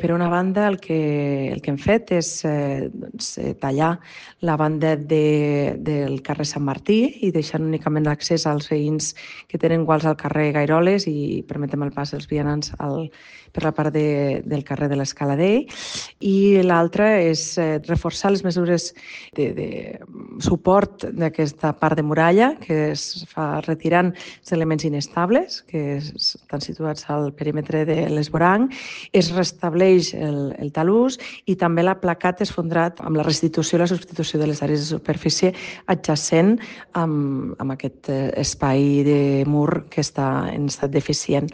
Per una banda, el que hem fet és tallar la banda del carrer Sant Martí i deixant únicament l'accés als veïns que tenen guals al carrer Gairoles i permetem el pas dels vianants per la part del carrer de l'Escaladell. I l'altra és reforçar les mesures de suport d'aquesta part de muralla que es fa retirant els elements inestables que estan situats al perímetre de l'Esvoranc, es restableix el talús i també l'aplacat esfondrat amb la restitució i la substitució de les àrees de superfície adjacent amb aquest espai de mur que està en estat deficient.